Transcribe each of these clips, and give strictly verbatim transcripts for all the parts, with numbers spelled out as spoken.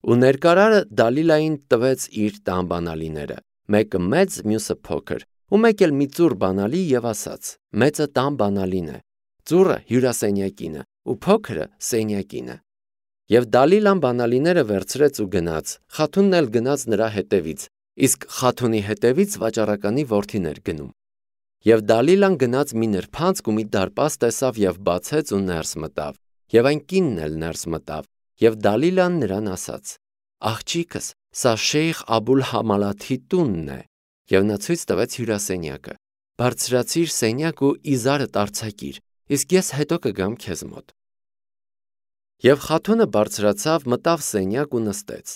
Ու ներկարարը Դալիլային տվեց իր տան բանալիները, մեկը մեծ, մյուսը փոքր, ու մեկ էլ մի ծուռ բանալի եւ ասաց. մեծը տան բանալին է, ծուռը հյուրասենյակինը, ու փոքրը սենյակինը։ Եվ Դալիլան բանալիները վերցրեց ու գնաց, Խաթունն էլ գնաց նրա հետևից, իսկ Խաթունի հետևից վաճառականի որդին էր գնում։ Եվ Դալիլան գնաց մի նրբանցք ու մի դարպաս տեսավ եւ բացեց ու ներս մտավ, եւ այն կինն էլ ներս մտավ, եւ Դալիլան նրան ասաց. Աղջիկս, սա Շեյխ Աբուլ Համալաթի տունն է, եւ նա ցույց տվեց հյուրասենյակը։ Բարձրացիր սենյակ ու իզարդ արձակիր, իսկ ես հետո կգամ քեզ մոտ։ Եվ Խաթունը բարձրացավ, մտավ սենյակ ու նստեց։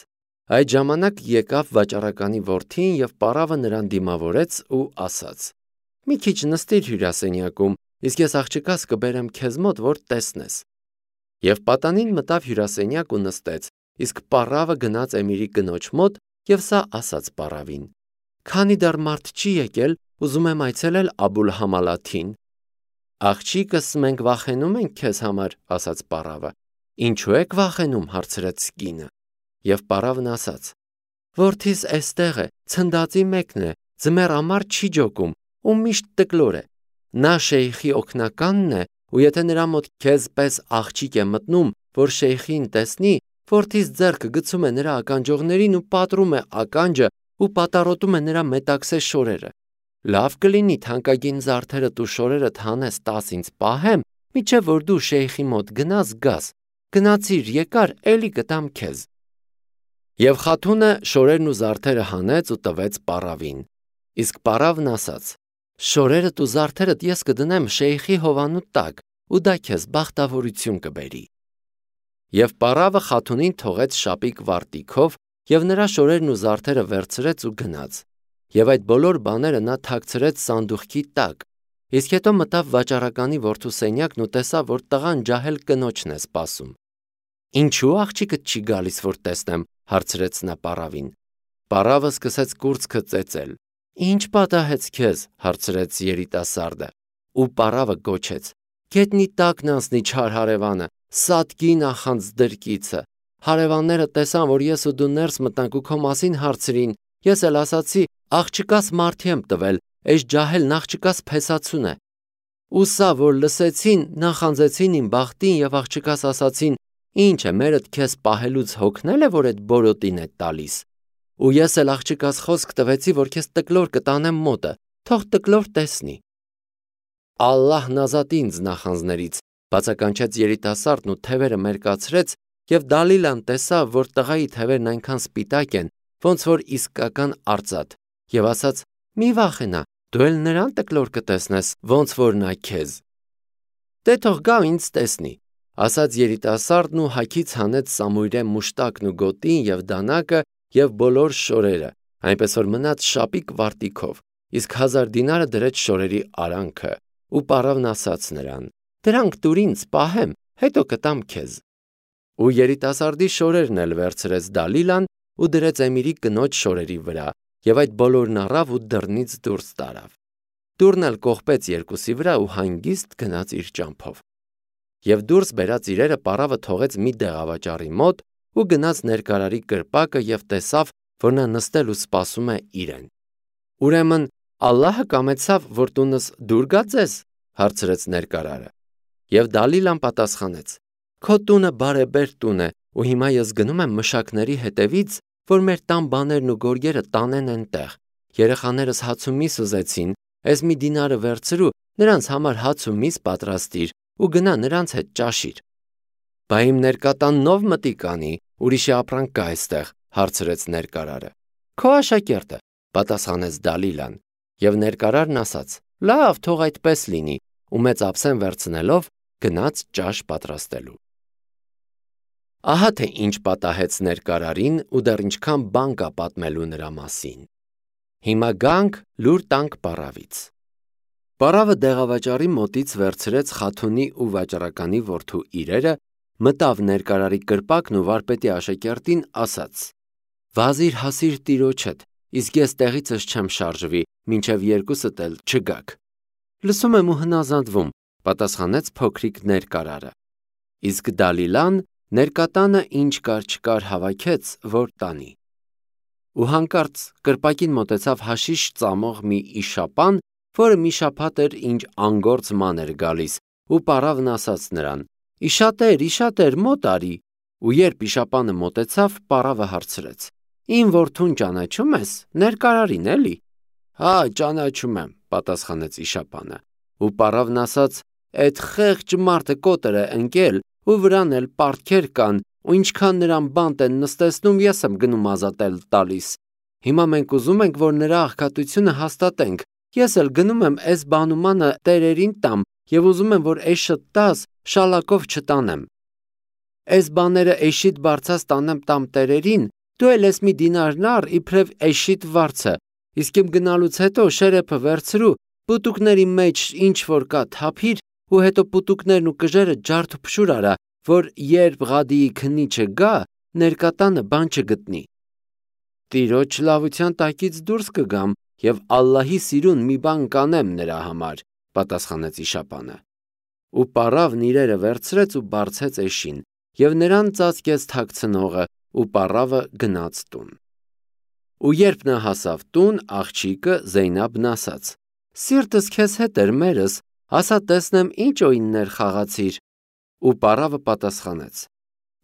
Այդ ժամանակ եկավ վաճառականի որդին եւ պարավը նրան դիմավորեց ու ասաց. Մի քիչ նստիր հյուրասենյակում, իսկ ես աղջկաս կբերեմ քեզ մոտ, որ տեսնես։ Եվ պատանին մտավ հյուրասենյակ ու նստեց, իսկ պարավը գնաց Էմիրի կնոջ մոտ եւ սա ասաց պարավին. Քանի դեռ մարդ չի եկել, ուզում եմ այցելել Աբուլ Համալաթին։ Աղջիկս, մենք վախենում ենք քեզ համար, ասաց պարավը։ Ինչու եք վախենում, հարցրեց կինը։ Եվ պարավն ասաց. Որդիս էստեղ է, ցնդածի մեկն է, ձմեռ ամառ չի ջոկում ու միշտ տկլոր է։ Նա շեյխի օգնականն է, ու եթե նրա մոտ քեզ պես աղջիկ է մտնում, որ շեյխին տեսնի, որդիս ձեռքը գցում է նրա ականջողներին ու պատռում է ականջը ու պատառոտում է նրա մետաքսե շորերը։ Լավ կլինի թանկագին զարդերդ ու շորերդ հանես տաս ինձ պահեմ, միջև որ դու շեյխի մոտ գնաս գաս։ Գնացիր, եկար, էլի կտամ քեզ։ Եվ Խաթունը շորերն ու զարդերը հանեց ու տվեց պարավին։ Իսկ պարավն ասաց. Շորերդ ու զարդերդ ես կդնեմ շեյխի հովանու տակ, ու դա քեզ բախտավորություն կբերի։ Եվ պարավը Խաթունին թողեց շապիկ վարտիքով, եւ նրա շորերն ու զարդերը վերցրեց ու գնաց։ Եվ այդ բոլոր բաները նա թաքցրեց սանդուղքի տակ, իսկ հետո մտավ վաճառականի որդու սենյակն ու տեսավ, որ տղան ջահել կնոջն է սպասում։ Ինչու աղջիկդ չի գալիս, որ տեսնեմ, հարցրեց նա պարավին։ Պարավը սկսեց կուրծքը ծեծել։ Ինչ պատահեց քեզ, հարցրեց երիտասարդը։ Ու պարավը գոչեց. Գետնի տակն անցնի չար հարևանը, սատկի նախանց դրկիցը։ Հարևանները տեսան, որ ես ու դու ներս մտանք ու քո մասին հարցրին, ես էլ ասացի, աղջկաս մարդի եմ տվել, այս ջահելն աղջկաս փեսացուն է։ Ու սա, որ լսեցին, նախանձեցին իմ բախտին եւ աղջկաս ասացին, ինչ է, մերդ քեզ պահելուց հոգնել է, որ այդ բորոտին է տալիս։ Ու ես էլ աղջկաս խոսք տվեցի, որ քեզ տկլոր կտանեմ մոտը, թող տկլոր տեսնի։ Ալլահն ազատի ինձ նախանձներից, բացականչեց երիտասարդն ու թևերը մերկացրեց, եւ Դալիլան տեսավ, որ տղայի թևերն այնքան սպիտակ են, ոնց որ իսկական արծաթ, եւ ասաց. Մի վախենա, դու էլ նրան տկլոր կտեսնես, ոնց որ նա քեզ։ Դե թող գա ինձ տեսնի, ասաց երիտասարդն ու հագից հանեց սամույրե մուշտակն ու գոտին եւ դանակը եւ բոլոր շորերը, այնպես որ մնաց շապիկ վարտիքով, իսկ հազար դինարը դրեց շորերի արանքը, ու պարավն ասաց նրան. Դրանք տուր ինձ պահեմ, հետո կտամ քեզ։ Ու երիտասարդի շորերն էլ վերցրեց Դալիլան ու դրեց Էմիրի կնոջ շորերի վրա, եւ այդ բոլորն առավ ու դռնից դուրս տարավ։ Դուռն էլ կողպեց երկուսի վրա ու հանգիստ գնաց իր ճամփով։ Եվ դուրս բերած իրերը պարավը թողեց մի դեղավաճառի մոտ ու գնաց ներկարարի կրպակը եւ տեսավ, որ նա նստել ու սպասում է իրեն։ Ուրեմն Ալլահը կամեցավ, որ տունս դուր գա ձեզ, հարցրեց ներկարարը։ Եվ Դալիլան պատասխանեց. Քո տունը բարեբեր տուն է, ու հիմա ես գնում եմ մշակների հետևից, որ մեր տան բաներն ու գորգերը տանեն այնտեղ։ Երեխաներս հաց ու միս ուզեցին, ես մի դինարը վերցրու, նրանց համար հաց ու միս պատրաստիր ու գնա նրանց հետ ճաշիր։ Բա իմ ներկատան նով մտի կանի, ուրիշի ապրանք կա այստեղ, հարցրեց ներկարարը։ Քո աշակերտը, պատասխանեց Դալիլան, եւ ներկարարն ասաց. Լավ, թող այդպես լինի, ու մեծ ափսեն վերցնելով գնաց ճաշ պատրաստելու։ Ահա թե ինչ պատահեց ներկարարին ու դեռ ինչքան բան կա պատմելու նրա մասին։ Հիմա գանք լուր տանք պարավից։ Պարավը դեղավաճառի մոտից վերցրեց Խաթունի ու վաճառականի որդու իրերը, մտավ ներկարարի կրպակն ու վարպետի աշակերտին ասաց. Վազիր հասիր տիրոջդ, իսկ ես տեղիցս չեմ շարժվի, մինչև երկուսդ էլ չգաք։ Լսում եմ ու հնազանդվում, պատասխանեց փոքրիկ ներկարարը։ Իսկ Դալիլան ներկատանը ինչ կար չկար հավաքեց, որ տանի։ Ու հանկարծ կրպակին մոտեցավ հաշիշ ծամող մի իշապան, որը մի շաբաթ էր ինչ անգործ ման էր գալիս, ու պարավն ասաց նրան. «Իշատեր, իշատեր, մոտ արի»։ Ու երբ իշապանը մոտեցավ, պարավը հարցրեց. «Իմ որդուն ճանաչում ես, ներկարարին էլի»։ «Հա, ճանաչում եմ», պատասխանեց իշապանը։ Ու պարավն ասաց. «Էդ խեղճ մարդը կոտր է ընկել, ու վրան էլ պարտքեր կան, ու ինչքան նրան բանտ են նստեցնում, ես եմ գնում ազատել տալիս։ Հիմա մենք ուզում ենք, որ նրա աղքատությունը հաստատենք, ես էլ գնում եմ էս բանումանը տերերին տամ և ուզում եմ, որ էշդ տաս, շալակով չտանեմ։ Էս բաները էշիդ բարձած տանեմ տամ տերերին, դու էլ ես մի դինարն առ իբրև էշիդ վարձը, իսկ իմ գնալուց հետո շերեփը վերցրու, պուտուկների մեջ ինչ որ կա թափիր, ու հետո պուտուկներն ու կժերը ջարդ ու փշուր արա, որ երբ Ղադիի քննիչը գա, ներկատանը բան չգտնի։ Տիրոջ լավության տակից դուրս կգամ և Ալլահի սիրուն մի բան կանեմ նրա համար, պատասխանեց իշապանը։ Ու պարավն իրերը վերցրեց ու բարձեց էշին, և նրան ծածկեց թաքցնողը, ու պարավը գնաց տուն։ Ու երբ նա հասավ տուն, աղջիկը Զեյնաբն ասաց. «Սիրտս քեզ հետ էր մերս, ասա տեսնեմ ինչ օիններ խաղացիր»։ Ու պարավը պատասխանեց.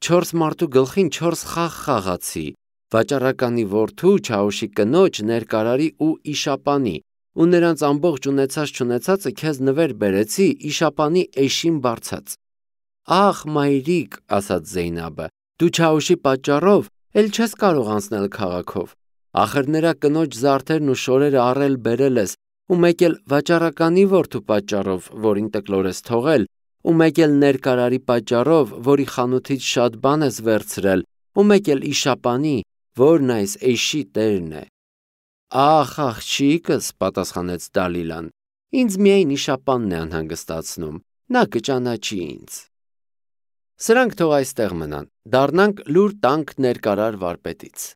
«Չորս մարդու գլխին չորս խաղ խաղացի, վաճառականի որդու, Չաուշի կնոջ, ներկարարի ու իշապանի, ու նրանց ամբողջ ունեցած չունեցածը քեզ նվեր բերեցի իշապանի էշին բարձած»։ «Ախ, մայրիկ», ասաց Զեյնաբը, «դու Չաուշի պատճառով էլ չես կարող անցնել քաղաքով, ախր նրա կնոջ զարդերն ու շորերը առել բերել ես, ու մեկ էլ վաճառականի որդու պատճառով, որին տկլոր ես թողել, ու մեկ էլ ներկարարի պատճառով, որի խանութից շատ բան ես վերցրել, ու մեկ էլ իշապանի, որն այս էշի տերն է»։ «Ախ, աղջիկս», պատասխանեց Դալիլան, «ինձ միայն իշապանն է անհանգստացնում, նա կճանաչի ինձ»։ Սրանք թող այստեղ մնան, դառնանք լուր տանք ներկարար վարպետից։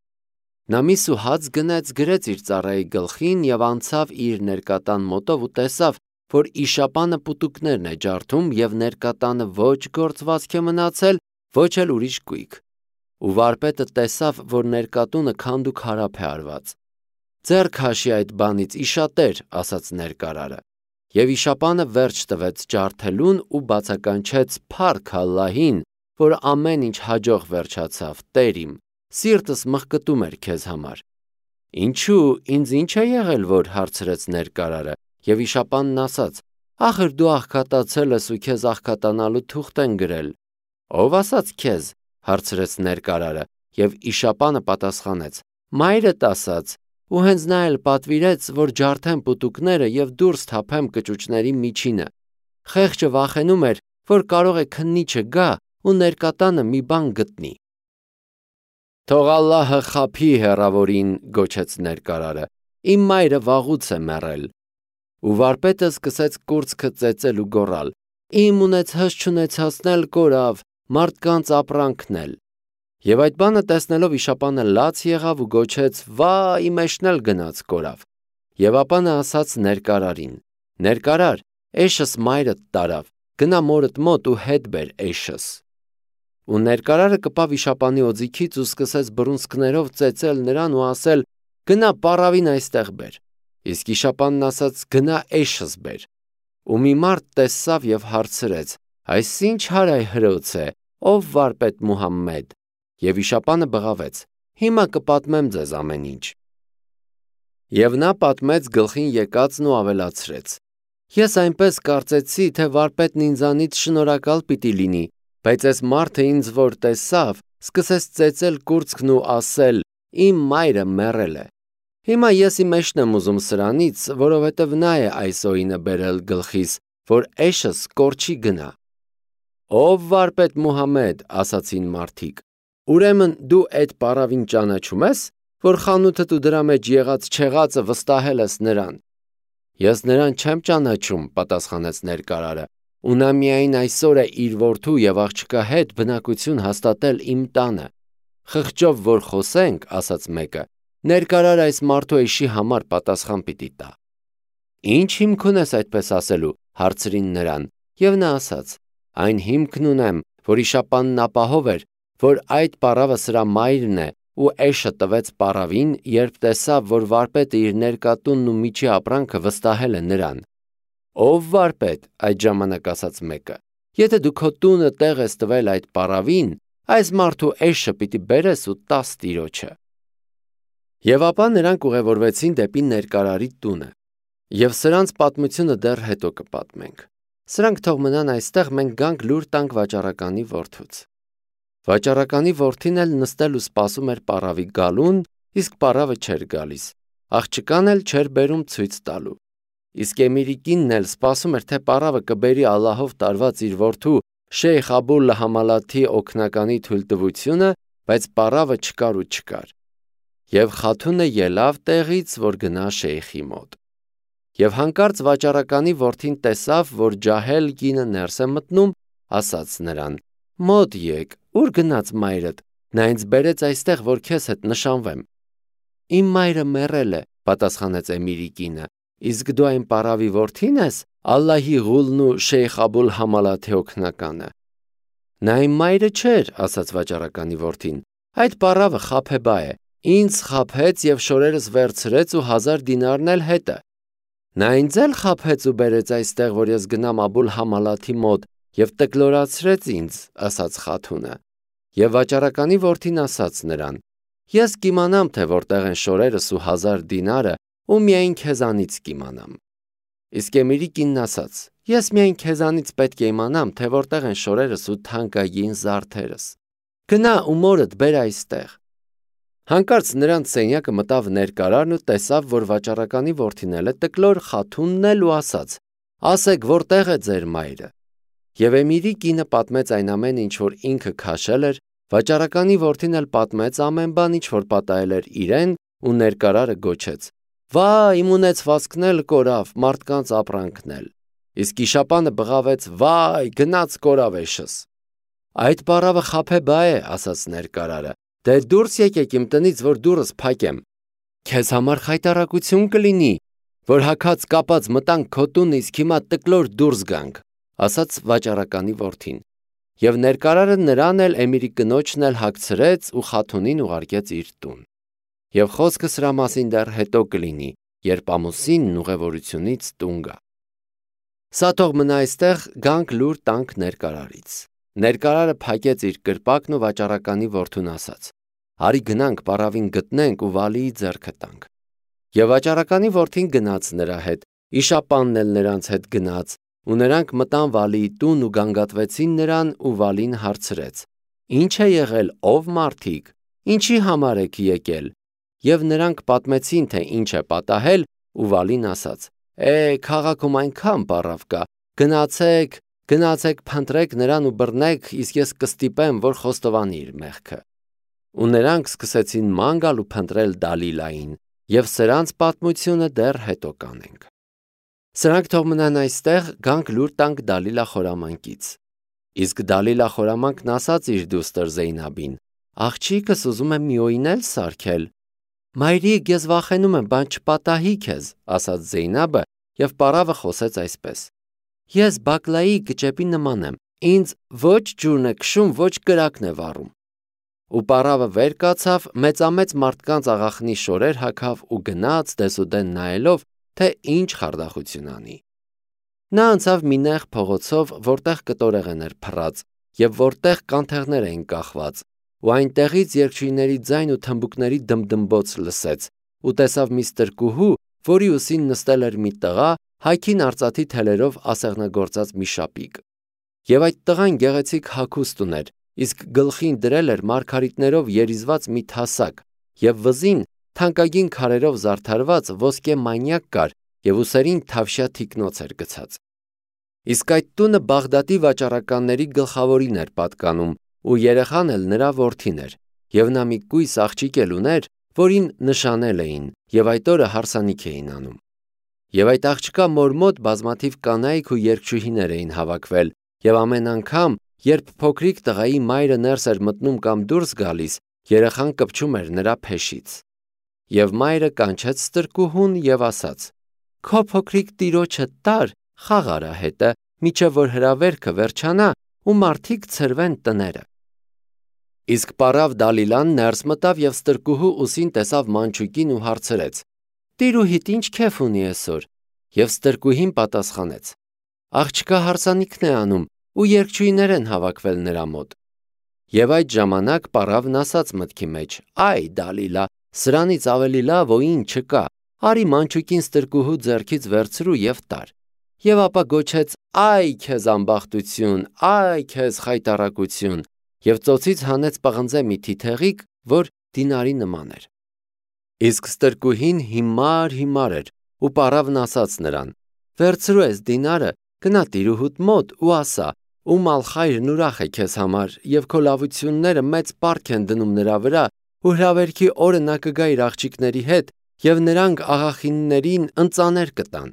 Նա մի սուհաց գնեց, գրեց իր ծառայի գլխին և անցավ իր ներկատան մոտով ու տեսավ, որ իշապանը պուտուկներն է ջարդում և ներկատանը ոչ գործվածք է մնացել, ոչ էլ ուրիշ գույք։ Ու վարպետը տեսավ, որ ներկատունը քանդուքարափ է արված։ «Ձեռք հաշի այդ բանից, իշատեր», ասաց ներկարարը։ Եվ իշապանը վերջ տվեց ջարդելուն ու բացականչեց փառք Ալլահին, որ ամեն ինչ հաջող վերջացավ, Տեր իմ, սիրտս մղկտում էր քեզ համար։ «Ինչու, ինձ ինչ է եղել, որ», հարցրեց ներկարարը, և իշապանն ասաց. «Ախր դու աղքատացել ես ու քեզ աղքատանալու թուղթ են գրել»։ «Ո՞վ ասաց քեզ», հարցրեց ներկարարը, և իշապանը պատասխանեց. «Մայրդ ասաց, ու հենց նա էլ պատվիրեց, որ ջարդեմ պուտուկները և դուրս թափեմ կճուճների միջինը։ Խեղճը վախենում էր, որ կարող է քննիչը գա ու ներկատանը մի բան գտնի»։ «Թող Ալլահը խաբի հեռավորին», գոչեց ներկարարը, «իմ մայրը վաղուց է մեռել»։ Ու վարպետը սկսեց կուրծքը ծեծել ու գոռալ. «Իմ ունեցած չունեցածն էլ կորավ, մարդկանց ապրանքն էլ»։ Եվ այդ բանը տեսնելով իշապանը լաց եղավ ու գոչեց. «Վա, իմ էշն էլ գնաց կորավ»։ Եվ ապա նա ասաց ներկարարին. «Ներկարար, էշս մայրդ տարավ, գնա մորդ մոտ ու հետ բեր էշս»։ Ու ներկարարը կպավ իշապանի օձիքից ու սկսեց բռունցքներով ծեծել նրան ու ասել. «Գնա պառավին այստեղ բեր»։ Իսկ իշապանն ասաց. «Գնա էշս բեր»։ Ու մի մարդ տեսավ և հարցրեց. «Այս ինչ հարայ հրոց է, ով վարպետ Մուհամմեդ»։ Եվ իշապանը բղավեց. «Հիմա կպատմեմ ձեզ ամեն ինչ»։ Եվ նա պատմեց գլխին եկածն ու ավելացրեց. «Ես այնպես կարծեցի, թե վարպետն ինձանից շնորհակալ պիտի լինի, բայց այս մարդը ինձ որ տեսավ, սկսեց ծեծել կուրծքն ու ասել. իմ մայրը մեռել է։ Հիմա ես իմ էշն եմ ուզում սրանից, որովհետև նա է այս օինը բերել գլխիս, որ էշս կորչի գնա»։ «Ով վարպետ Մուհամմեդ», ասացին մարդիկ, «ուրեմն դու էդ պառավին ճանաչում ես, որ խանութդ ու դրա մեջ եղած չեղածը վստահել ես նրան»։ «Ես նրան չեմ ճանաչում», պատասխանեց ներկարարը, «ու նա միայն այսօր է իր որդու և աղջկա հետ բնակություն հաստատել իմ տանը»։ «Խղճով որ խոսենք», ասաց մեկը, «ներկարարը այս մարդու էշի համար պատասխան պիտի տա»։ «Ինչ հիմք ունես այդպես ասելու», հարցրին նրան, և նա ասաց. «Այն հիմքն ունեմ, որ իշապանն ապահով էր, որ այդ պառավը սրա մայրն է, ու էշը տվեց պառավին, երբ տեսավ, որ վարպետը իր ներկատունն ու միջի ապրանքը վստահել է նրան։ Ով վարպետ, այդ ժամանակ ասաց մեկը, եթե դու քո տունը տեղ ես տվել այդ պառավին, այս մարդու էշը պիտի բերես ու տաս տիրոջը։ Եվ ապա նրանք ուղևորվեցին դեպի ներկարարի տունը, և սրանց պատմությունը դեռ հետո կպատմենք։ Սրանք թող մնան այստեղ, մենք գանք լուր տանք վաճառականի որդուց։ Վաճառականի որդին էլ նստել ու սպասում էր պառավի գալուն, իսկ պառավը չէր գալիս, աղջկան էլ չէր բերում ցույց տալու։ Իսկ Էմիրի կինն էլ սպասում էր, թե պառավը կբերի Ալլահով տարված իր որդու Շեյխ Աբուլ Համալաթի օգնականի թույլտվությունը, բայց պառավը չկար ու չկար։ Եվ խաթունը ելավ տեղից, որ գնա շեյխի մոտ։ Եվ հանկարծ վաճառականի որդին տեսավ, որ ջահել կինը ներս է մտնում, ասաց նրան. «Մոտ եկ, ուր գնաց մայրդ, նա ինձ բերեց այստեղ, որ քեզ հետ նշանվեմ»։ «Իմ մայրը մեռել է», պատասխանեց Էմիրի կինը, «իսկ դու այն պառավի որդին ես, Ալլահի ղուլն ու Շեյխ Աբուլ Համալաթի օգնականը»։ «Նա իմ մայրը չէր», ասաց վաճառականի որդին, «այդ պառավը խաբեբա է, ինձ խաբեց և շորերս վերցրեց ու հազար դինարն էլ հետը»։ «Նա ինձ էլ խաբեց ու բերեց այստեղ, որ ես գնամ Աբուլ Համալաթի մոտ և տկլորացրեց ինձ», ասաց խաթունը։ Եվ վաճառականի որդին ասաց նրան. «Ես կիմանամ, թե որտեղ են շորերս ու հազար դինարը, ու միայն քեզանից կիմանամ»։ Իսկ Էմիրի կինն ասաց. «Ես միայն քեզանից պետք է իմանամ, թե որտեղ են շորերս ու թանկագին զարդերս։ Գնա ու մորդ բեր այստեղ»։ Հանկարծ նրանց սենյակը մտավ ներկարարն ու տեսավ, որ վաճառականի որդին էլ է տկլոր, խաթունն էլ, ու ասաց. «Ասեք, որտեղ է ձեր մայրը»։ Եվ Էմիրի կինը պատմեց այն ամենը, ինչ որ ինքը քաշել էր, վաճառականի որդին էլ պատմեց ամեն բան, ինչ որ պատահել էր իրեն, ու ներկարարը գոչեց. «Վա՜, իմ ունեցվածքն էլ կորավ, մարդկանց ապրանքն էլ»։ Իսկ իշապանը բղավեց. «Վայ, գնաց կորավ էշս»։ «Այդ պառավը խաբեբա է», ասաց ներկարարը, «դե դուրս եկեք իմ տնից, որ դուռս փակեմ»։ «Քեզ համար խայտառակություն կլինի, որ հագած կապած մտանք քո տուն, իսկ հիմա տկլոր դուրս գանք», ասաց վաճառականի որդին։ Եվ ներկարարը նրան էլ, Էմիրի կնոջն էլ հագցրեց ու խաթունին ուղարկեց իր տուն։ Եվ խոսքը սրա մասին դեռ հետո կլինի, երբ ամուսինն ուղևորությունից տուն գա։ Սա թող մնա այստեղ, գանք լուր տանք ներկարարից։ Ներկարարը փակեց իր կրպակն ու վաճառականի որդուն ասաց. «Արի գնանք պառավին գտնենք ու Վալիի ձեռքը տանք»։ Եվ վաճառականի որդին գնաց նրա հետ, իշապանն էլ նրանց հետ գնաց, ու նրանք մտան Վալիի տուն ու գանգատվեցին նրան, ու Վալին հարցրեց. «Ինչ է եղել, ով մարդիկ, ինչի համար եք եկել»։ Եվ նրանք պատմեցին, թե ինչ է պատահել, ու Վալին ասաց. «Է, քաղաքում այնքան պառավ կա, գնացեք, գնացեք փնտրեք նրան ու բռնեք, իսկ ես կստիպեմ, որ խոստովանի իր մեղքը»։ Ու նրանք սկսեցին ման գալ ու փնտրել Դալիլային, և սրանց պատմությունը դեռ հետո կանենք։ Սրանք թող մնան այստեղ, գանք լուր տանք Դալիլա խորամանկից։ Իսկ Դալիլա խորամանկն ասաց իր դուստր Զեյնաբին. «Աղջիկս ուզում է մի օյնել սարքել»։ «Մայրիկ, ես վախենում եմ, բան չպատահի քեզ», ասաց Զեյնաբը, և պառավը խոսեց այսպես. «Ես բակլայի կճեպի նման եմ, ինձ ոչ ջուրն է քշում, ոչ կրակն է վառում»։ Ու պառավը վեր կացավ, մեծամեծ մարդկանց աղախնի շորեր հագավ ու գնաց դեսուդեն նայելով, թե ինչ խարդախություն անի։ Նա անցավ մի նեղ փողոցով, որտեղ կտորեղեն էր փռած, և որտեղ կանթեղներ էին կախված, ու այնտեղից երգչույների ձայն ու թմբուկների դմդմբոց լսեց, ու տեսավ մի ստրկուհու, որի ուսին նստել էր մի տղա, հագին արծաթի թելերով ասեղնագործած մի շապիկ։ Եվ այդ տղան գեղեցիկ հագուստ ուներ, իսկ գլխին դրել էր մարգարիտներով երիզված մի թասակ, և վզին թանկագին քարերով զարդարված ոսկե մանյակ կար, և ուսերին թավշյա թիկնոց էր գցած։ Իսկ այդ տունը Բաղդադի վաճառականների գլխավորին էր պատկանում, ու երեխան էլ նրա որդին էր, և նա մի կույս աղջիկ էլ ուներ, որին նշանել էին, և այդ օրը հարսանիք էին անում։ Եվ այդ աղջկա մոր մոտ բազմաթիվ կանայք ու երգչուհիներ էին հավաքվել, և ամեն անգամ, երբ փոքրիկ տղայի մայրը ներս էր մտնում կամ դուրս գալիս, երեխան կպչում էր նրա փեշից։ Եվ մայրը կանչեց ստրկուհուն և ասաց. «Քո փոքրիկ տիրոջը տար, խաղ արա հետը, մինչև որ հրավերքը վերջանա, ու մարդիկ ցրվեն տները։ Իսկ պարավ Դալիլան ներս մտավ և ստրկուհու ուսին տեսավ մանչուկին ու հարցրեց. «Տիրուհիդ ինչ քեֆ ունի այսօր»։ Եվ ստրկուհին պատասխանեց. «Աղջկա հարսանիքն է անում ու երգչույներ են հավաքվել նրա մոտ»։ Եվ այդ ժամանակ պարավն ասաց մտքի մեջ. «Այ Դալիլա, սրանից ավելի լավ ոյին չկա, արի մանչուկին ստրկուհու ձեռքից վերցրու և տար»։ Եվ ապա գոչեց. «Այ քեզ ամբախտություն, այ քեզ խայտառակություն», և ծոցից հանեց պղնձե մի թիթեղիկ, որ դինարի նման էր։ Իսկ ստրկուհին հիմար-հիմար էր, ու պարավն ասաց նրան. «Վերցրու այս դինարը, գնա տիրուհուդ մոտ ու ասա. Ում ալխայրն ուրախ է քեզ համար, և քո լավությունները մեծ պարկ են դնում նրա վրա, ու հրավերքի օրը նա կգա իր աղջիկների հետ, և նրանք աղախիններին ընծաներ կտան»։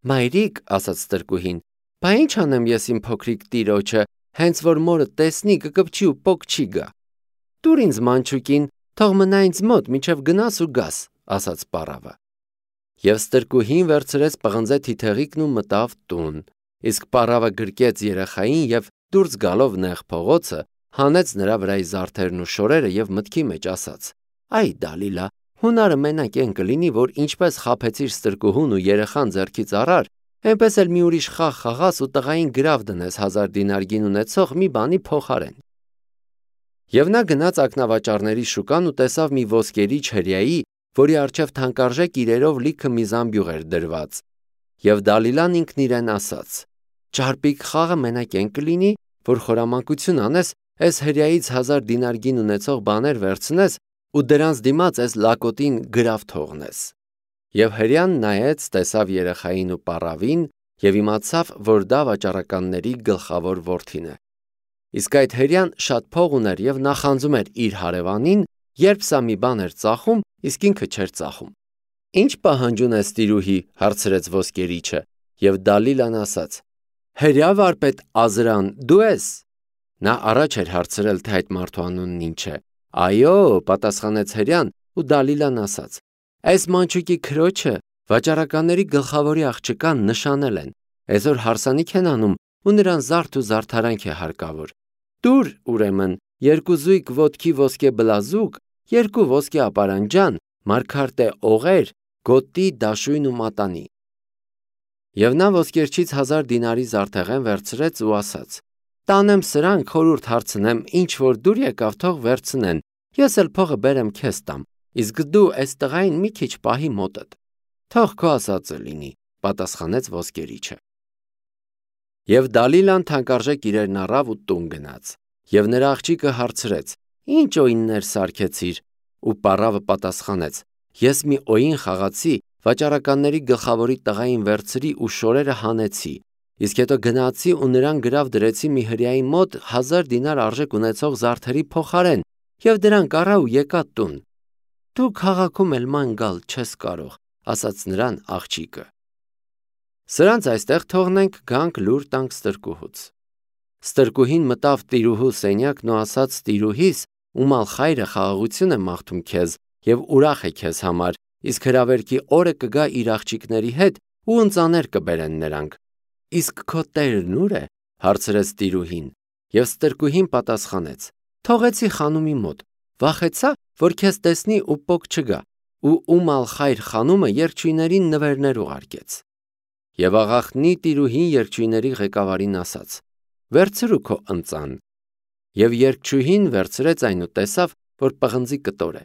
«Մայրիկ», ասաց ստրկուհին, «բա ինչ անեմ ես իմ փոքրիկ տիրոջը, հենց որ մորը տեսնի կկպչի ու պոկ չի գա»։ «Տուր ինձ մանչուկին, թող մնա ինձ մոտ, մինչև գնաս ու գաս», ասաց պարավը։ Եվ ստրկուհին վերցրեց պղնձե թիթեղիկն ու մտավ տուն։ Իսկ պարավը գրկեց երեխային և դուրս գալով նեղ փողոցը, հանեց նրա վրայի զարդերն ու շորերը և մտքի մեջ ասաց. «Այ Դալիլա, հունարը մենակ էն կլինի, որ ինչպես խաբեցիր ստրկուհուն ու երեխան ձեռքից առար, այնպես էլ մի ուրիշ խաղ խաղաս ու տղային գրավ դնես հազար դինար գին ունեցող մի բանի փոխարեն»։ Եվ նա գնաց ակնավաճառների շուկան ու տեսավ մի ոսկերիչ հրեայի, որի առջև թանկարժեք իրերով լիքը մի զամբյուղ էր դրված։ Եվ Դալիլան ինքն իրեն ասաց. «Ճարպիկ խաղը մենակ էն կլինի, որ խորամանկություն անես, այս հրեայից հազար դինար գին ունեցող բաներ վերցնես ու դրանց դիմաց այս լակոտին գրավ թողնես»։ Եվ հրեան նայեց, տեսավ երեխային ու պարավին և իմացավ, որ դա վաճառականների գլխավոր որդին է։ Իսկ այդ հրեան շատ փող ուներ և նախանձում էր իր հարևանին, երբ սա մի բան էր ծախում, իսկ ինքը չէր ծախում։ «Ինչ պահանջում ես, տիրուհի», հարցրեց ոսկերիչը, և Դալիլան ասաց. «Հրեա վարպետ Ազրան, դու ես»։ Նա առաջ էր հարցրել, թե այդ մարդու անունն ինչ է։ «Այո», պատասխանեց հրեան, ու Դալիլան ասաց. «Այս մանչուկի քրոջը վաճառականների գլխավորի աղջկան նշանել են, այսօր հարսանիք են անում ու նրան զարդ ու զարդարանք է հարկավոր։ Տուր, ուրեմն, երկու զույգ ոտքի ոսկե բլազուկ, երկու ոսկե ապարանջան, մարգարտե օղեր, գոտի, դաշույն ու մատանի»։ Եվ նա ոսկերչից հազար դինարի զարդեղեն վերցրեց ու ասաց. «Տանեմ սրանք, խորհուրդ հարցնեմ, ինչ որ դուր եկավ, թող վերցնեն, ես էլ փողը բերեմ քեզ տամ, իսկ դու այս տղային մի քիչ պահի մոտդ»։ «Թող քո ասածը լինի», պատասխանեց ոսկերիչը։ Եվ Դալիլան թանկարժեք իրերն առավ ու տուն գնաց։ Եվ նրա աղջիկը հարցրեց. «Ինչ օիններ սարքեցիր»։ Ու պարավը պատասխանեց. «Ես մի օին խաղացի, վաճառականների գլխավորի տղային վերցրի ու շորերը հանեցի, իսկ հետո գնացի ու նրան գրավ դրեցի մի հրեայի մոտ հազար դինար արժեք ունեցող զարդերի փոխարեն և դրանք առա ու եկա տուն»։ «Դու քաղաքում էլ ման գալ չես կարող», ասաց նրան աղջիկը։ Սրանց այստեղ թողնենք, գանք լուր տանք ստրկուհուց։ Ստրկուհին մտավ տիրուհու սենյակն ու ասաց տիրուհիս, ում ալխայրը խաղաղություն է մաղթում քեզ և ուրախ է քեզ համար, իսկ հրավերքի օրը կգա իր աղջիկների հետ ու ընծաներ կբերեն նրանք։ «Իսկ քո տերն ուր է»։ հարցրեց տիրուհին։ Եվ ստրկուհին պատասխանեց. «Թողեցի խանումի մոտ, վախեցա, որ քեզ տեսնի ու պոկ չգա, ու ում ալխայր խանումը երգչույներին նվերներ ուղարկեց»։ Եվ աղախնի տիրուհին երգչույների ղեկավարին ասաց. «Վերցրու քո ընծան»։ Եվ երգչուհին վերցրեց այն ու տեսավ, որ պղնձի կտոր է։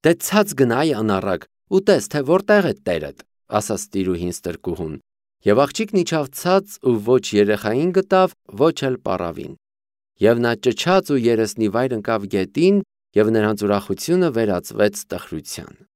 «Դե ցած գնա, այ անառակ, ու տես, թե որտեղ է տերդ», ասաց տիրուհին ստրկուհուն։ Եվ աղջիկն իջավ ցած ու ոչ երեխային գտավ, ոչ էլ պարավին։ Եվ նա ճչաց ու երեսնիվայր ընկավ գետին, և նրանց ուրախությունը վերածվեց տխրության։